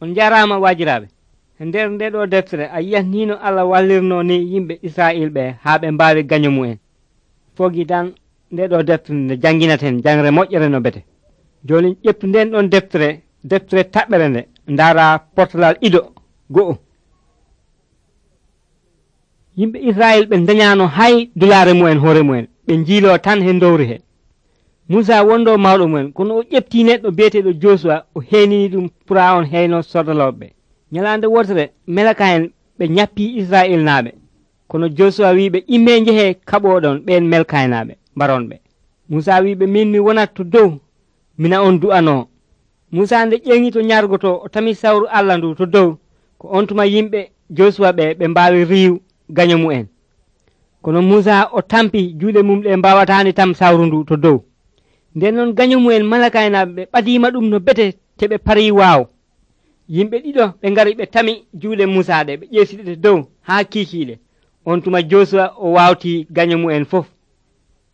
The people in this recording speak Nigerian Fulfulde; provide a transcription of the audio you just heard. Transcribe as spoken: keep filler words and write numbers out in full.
On jarama wajiraɓe. E nder nde ɗo deftere a yiyat ni no Allah wallirno ni yimɓe Israil ɓe haa ɓe mbawi gaño mu'en. Fogi tan nde ɗo deftere nde janginaten jangre moƴƴere no bete. Joni ƴettu nden ɗon deftere deftere taɓɓere nde ndara portalal ido go'o. Yimɓe Israil ɓe dañano hay dulare mu'en hoore mu'en ɓe jiilo tan he dowri he. Musa wondo mawɗo mu'en kono o ƴefti neɗɗo biyeteɗo Josua o henini ɗum pura on heyno sodaloɓe. Nyalande wotere melaka en ɓe ñappi Israil naaɓe kono Josua wiɓe imme jehe kaɓoɗon ɓen melkaynaɓe mbaronɓe. Musa wiɓe min mi wonat to dow mina on du'ano. Musa nde ƴeŋi to ñargoto o tami sawru Allah ndu to dow ko on tuma yimɓe Josua ɓe ɓe mbawi riiw gaño mu'en. Kono Musa o tampi juuɗe mum ɗe mbawatani tam sawru ndu to dow. Nden noon gaño mu'en malakaynaɓe ɓe ɓadima ɗum no bete te ɓe pari waaw. Yimɓe ɗiɗo ɓe ngari ɓe tami juuɗe Musa ɗe ɓe ƴeesiɗe dow haa kiikiiɗe. On tuma Josua o wawti gaño mu'en fof.